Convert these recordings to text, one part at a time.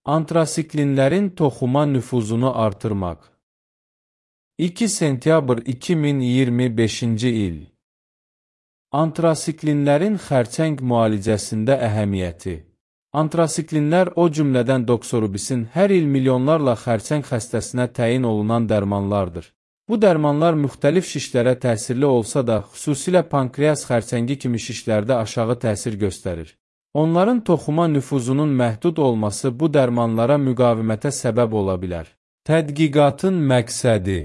Antrasiklinlərin toxuma nüfuzunu artırmaq. 2 sentyabr 2025-ci il. Antrasiklinlərin xərçəng müalicəsində əhəmiyyəti. Antrasiklinlər o cümlədən doksorubisin hər il milyonlarla xərçəng xəstəsinə təyin olunan dərmanlardır. Bu dərmanlar müxtəlif şişlərə təsirli olsa da, xüsusilə pankreas xərçəngi kimi şişlərdə aşağı təsir göstərir. Onların toxuma nüfuzunun məhdud olması bu dərmanlara müqavimətə səbəb ola bilər. Tədqiqatın məqsədi.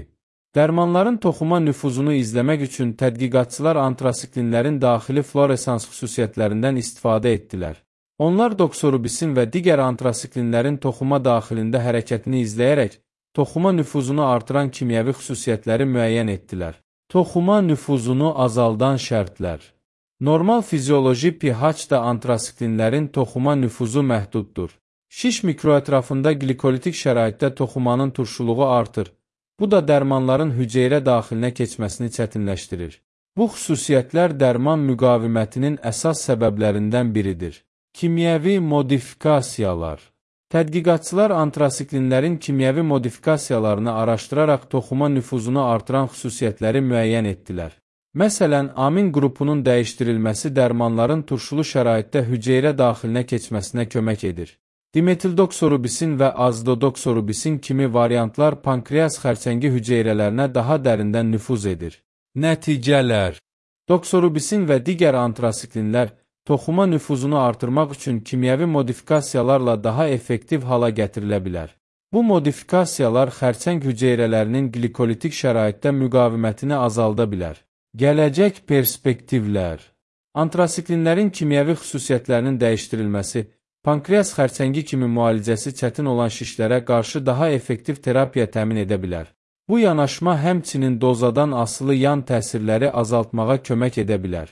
Dərmanların toxuma nüfuzunu izləmək üçün tədqiqatçılar antrasiklinlərin daxili floresans xüsusiyyətlərindən istifadə etdilər. Onlar doksorubisin və digər antrasiklinlərin toxuma daxilində hərəkətini izləyərək, toxuma nüfuzunu artıran kimyəvi xüsusiyyətləri müəyyən etdilər. Toxuma nüfuzunu azaldan şərtlər. Normal fizioloji pH-da antrasiklinlərin toxuma nüfuzu məhduddur. Şiş mikroətrafında glikolitik şəraitdə toxumanın turşuluğu artır. Bu da dərmanların hüceyrə daxilinə keçməsini çətinləşdirir. Bu xüsusiyyətlər dərman müqavimətinin əsas səbəblərindən biridir. Kimyəvi modifikasiyalar. Tədqiqatçılar antrasiklinlərin kimyəvi modifikasiyalarını araşdıraraq toxuma nüfuzunu artıran xüsusiyyətləri müəyyən etdilər. Məsələn, amin qrupunun dəyişdirilməsi dərmanların turşulu şəraitdə hüceyrə daxilinə keçməsinə kömək edir. Dimethildoksorubisin və azodoksorubisin kimi variantlar pankreas xərçəngi hüceyrələrinə daha dərindən nüfuz edir. Nəticələr. Doksorubisin və digər antrasiklinlər toxuma nüfuzunu artırmaq üçün kimyəvi modifikasiyalarla daha effektiv hala gətirilə bilər. Bu modifikasiyalar xərçəng hüceyrələrinin glikolitik şəraitdə müqavimətini azalda bilər. Gələcək perspektivlər. Antrasiklinlərin kimyəvi xüsusiyyətlərinin dəyişdirilməsi, pankreas xərçəngi kimi müalicəsi çətin olan şişlərə qarşı daha effektiv terapiya təmin edə bilər. Bu yanaşma həmçinin dozadan asılı yan təsirləri azaltmağa kömək edə bilər.